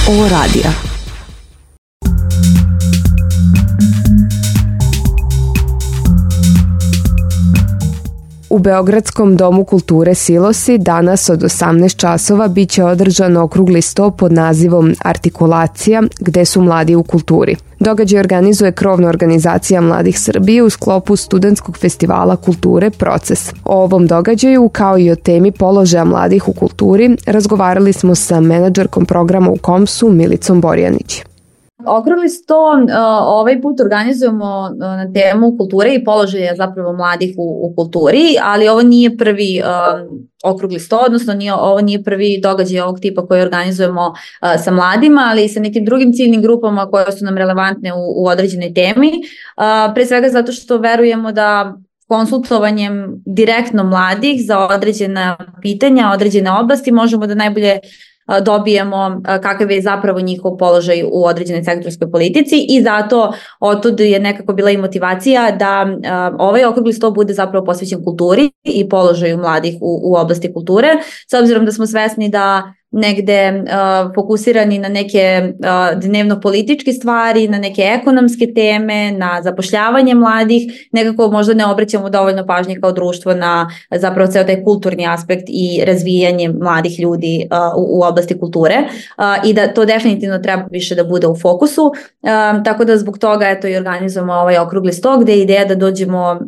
Ovo radija. U Beogradskom domu kulture Silosi danas od 18 časova biće održan okrugli sto pod nazivom Artikulacija, gde su mladi u kulturi. Događaj organizuje krovna organizacija Mladih Srbije u sklopu studentskog festivala kulture Proces. O ovom događaju, kao i o temi položaja mladih u kulturi, razgovarali smo sa menadžerkom programa u KOMS-u Milicom Borjanić. Okrugli sto ovaj put organizujemo na temu kulture i položaja zapravo mladih u kulturi, ali ovo nije prvi okrugli sto, odnosno ovo nije prvi događaj ovog tipa koji organizujemo sa mladima, ali i sa nekim drugim ciljnim grupama koje su nam relevantne u određenoj temi. Pre svega zato što verujemo da konsultovanjem direktno mladih za određena pitanja, određene oblasti možemo da najbolje dobijemo kakav je zapravo njihov položaj u određenoj sektorskoj politici i zato otud je nekako bila i motivacija da ovaj okrugli sto bude zapravo posvećen kulturi i položaju mladih u oblasti kulture, s obzirom da smo svesni da negde fokusirani na neke dnevno-političke stvari, na neke ekonomske teme, na zapošljavanje mladih, nekako možda ne obraćamo dovoljno pažnje kao društvo na zapravo ceo taj kulturni aspekt i razvijanje mladih ljudi u oblasti kulture i da to definitivno treba više da bude u fokusu, tako da zbog toga eto i organizujemo ovaj okrugli sto gde je ideja da dođemo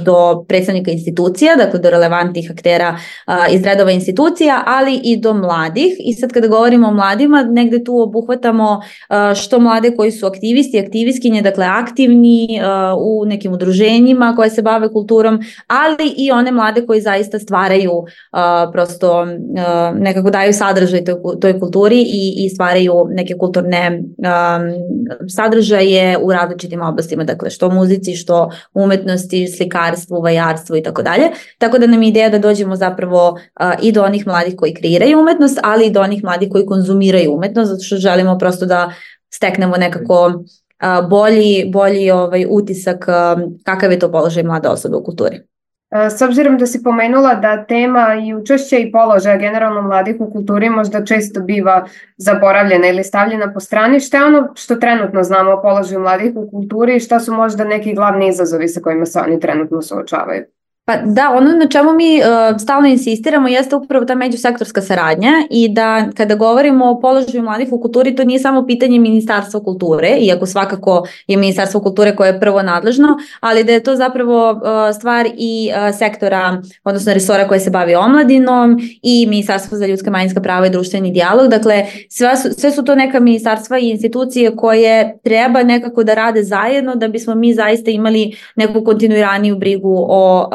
do predstavnika institucija, dakle do relevantnih aktera iz redova institucija, ali i do mladih. I sad kada govorimo o mladima, negde tu obuhvatamo što mlade koji su aktivisti, aktivistkinje, dakle aktivni u nekim udruženjima koje se bave kulturom, ali i one mlade koji zaista stvaraju, prosto nekako daju sadržaj toj kulturi i stvaraju neke kulturne sadržaje u različitim oblastima, dakle što muzici, što umetnosti, slikarstvu, vajarstvu i tako dalje. Tako da nam je ideja da dođemo zapravo i do onih mladih koji kreiraju umetnost, ali i do onih mladih koji konzumiraju umetnost, zato što želimo prosto da steknemo nekako bolji utisak kakav je to položaj mlade osobe u kulturi. S obzirom da si pomenula da tema i učešća i položaja generalno mladih u kulturi možda često biva zaboravljena ili stavljena po strani, šta je ono što trenutno znamo o položaju mladih u kulturi i šta su možda neki glavni izazovi sa kojima se oni trenutno suočavaju? Pa da, ono na čemu mi stalno insistiramo jeste upravo ta međusektorska saradnja i da kada govorimo o položaju mladih u kulturi, to nije samo pitanje Ministarstva kulture, iako svakako je Ministarstvo kulture koje je prvo nadležno, ali da je to zapravo stvar i sektora, odnosno resora koje se bavi omladinom i Ministarstvo za ljudska manjinska prava i društveni dijalog. Dakle, sve su to neka ministarstva i institucije koje treba nekako da rade zajedno da bismo mi zaista imali neku kontinuiraniju brigu o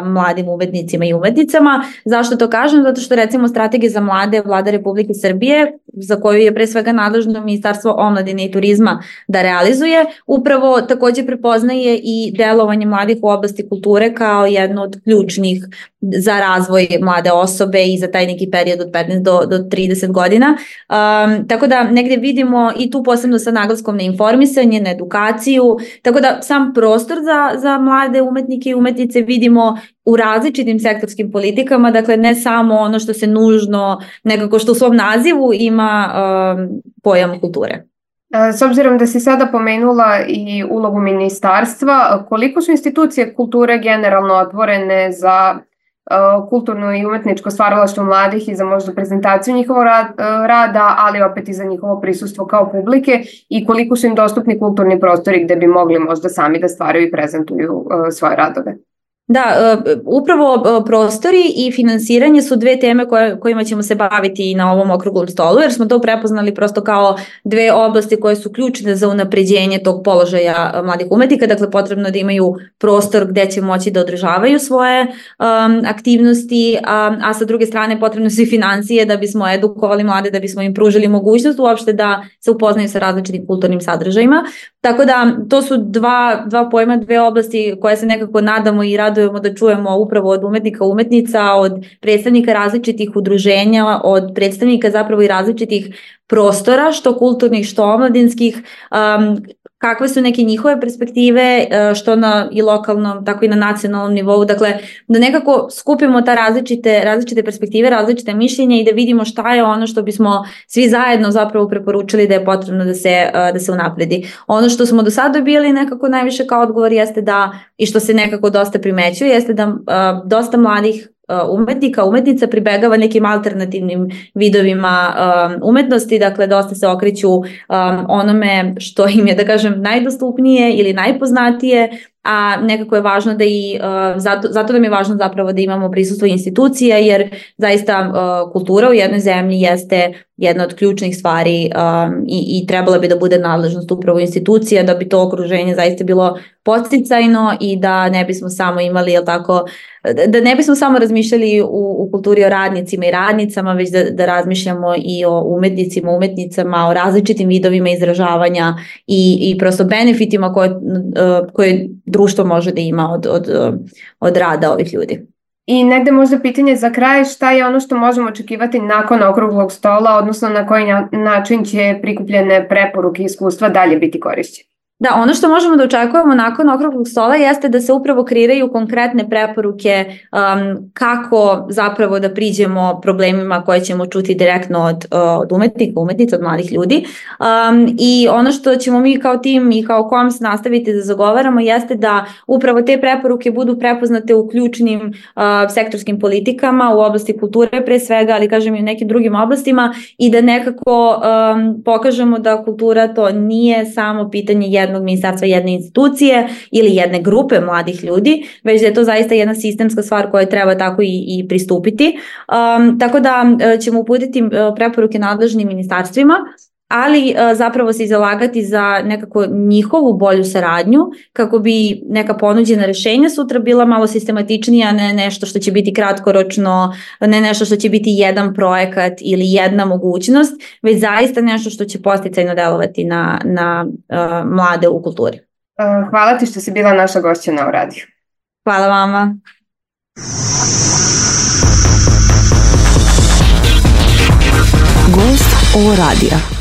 mladim umetnicima i umetnicama. Zašto to kažem? Zato što recimo strategija za mlade Vlada Republike Srbije, za koju je pre svega nadležno Ministarstvo omladine i turizma da realizuje, upravo takođe prepoznaje i delovanje mladih u oblasti kulture kao jedno od ključnih za razvoj mlade osobe i za taj neki period od 15 do 30 godina. Tako da negde vidimo i tu posebno sa naglaskom na informisanje, na edukaciju, tako da sam prostor za mlade umetnike i umetnice vidimo u različitim sektorskim politikama, dakle ne samo ono što se nužno, nekako što u svom nazivu ima pojam kulture. S obzirom da si sada pomenula i ulogu ministarstva, koliko su institucije kulture generalno otvorene za kulturno i umetničko stvaralaštvo mladih i za možda prezentaciju njihovog rada, ali opet i za njihovo prisustvo kao publike i koliko su im dostupni kulturni prostori gde bi mogli možda sami da stvaraju i prezentuju svoje radove? Da, upravo prostori i finansiranje su dve teme kojima ćemo se baviti na ovom okruglom stolu, jer smo to prepoznali prosto kao dve oblasti koje su ključne za unapređenje tog položaja mladih umetnika. Dakle, potrebno da imaju prostor gde će moći da održavaju svoje aktivnosti, a sa druge strane potrebno su i financije da bismo edukovali mlade, da bismo im pružili mogućnost uopšte da se upoznaju sa različitim kulturnim sadržajima. Tako da to su dva pojma, dve oblasti koje se nekako nadamo i radujemo da čujemo upravo od umetnika, umetnica, od predstavnika različitih udruženja, od predstavnika zapravo i različitih prostora, što kulturnih, što omladinskih, kakve su neke njihove perspektive, što na i lokalnom, tako i na nacionalnom nivou, dakle da nekako skupimo ta različite perspektive, različite mišljenja i da vidimo šta je ono što bismo svi zajedno zapravo preporučili da je potrebno da se unapredi. Ono što smo do sada dobili nekako najviše kao odgovor jeste da, i što se nekako dosta primećuje, jeste da dosta mladih umetnika, umetnica pribegava nekim alternativnim vidovima umetnosti, dakle dosta se okreću onome što im je, da kažem, najdostupnije ili najpoznatije, a nekako je važno da i, zato nam je važno zapravo da imamo prisustvo institucija, jer zaista kultura u jednoj zemlji jeste jedna od ključnih stvari i trebala bi da bude nadležnost upravo institucija, da bi to okruženje zaista bilo podsticajno i da ne bismo samo imali, jel tako, da ne bismo samo razmišljali u kulturi o radnicima i radnicama, već da razmišljamo i o umetnicima, umetnicama, o različitim vidovima izražavanja i prosto benefitima koje društvo može da ima od rada ovih ljudi. I negde možda pitanje za kraj, šta je ono što možemo očekivati nakon okruglog stola, odnosno na koji način će prikupljene preporuke i iskustva dalje biti korišćene? Da, ono što možemo da očekujemo nakon okruglog stola jeste da se upravo kreiraju konkretne preporuke kako zapravo da priđemo problemima koje ćemo čuti direktno od umetnika, umetnica, od mladih ljudi. I ono što ćemo mi kao tim i kao KOMS nastaviti da zagovaramo jeste da upravo te preporuke budu prepoznate u ključnim sektorskim politikama u oblasti kulture pre svega, ali kažem i u nekim drugim oblastima i da nekako pokažemo da kultura to nije samo pitanje jednog ministarstva, jedne institucije ili jedne grupe mladih ljudi, već da je to zaista jedna sistemska stvar koja treba tako i pristupiti. Tako da ćemo uputiti preporuke nadležnim ministarstvima, ali zapravo se zalagati za nekako njihovu bolju saradnju kako bi neka ponuđena rešenja sutra bila malo sistematičnija, ne nešto što će biti kratkoročno, ne nešto što će biti jedan projekat ili jedna mogućnost, već zaista nešto što će podsticajno delovati na mlade u kulturi. Hvala ti što si bila naša gošća na radiju. Hvala vama. Gost ovo radija.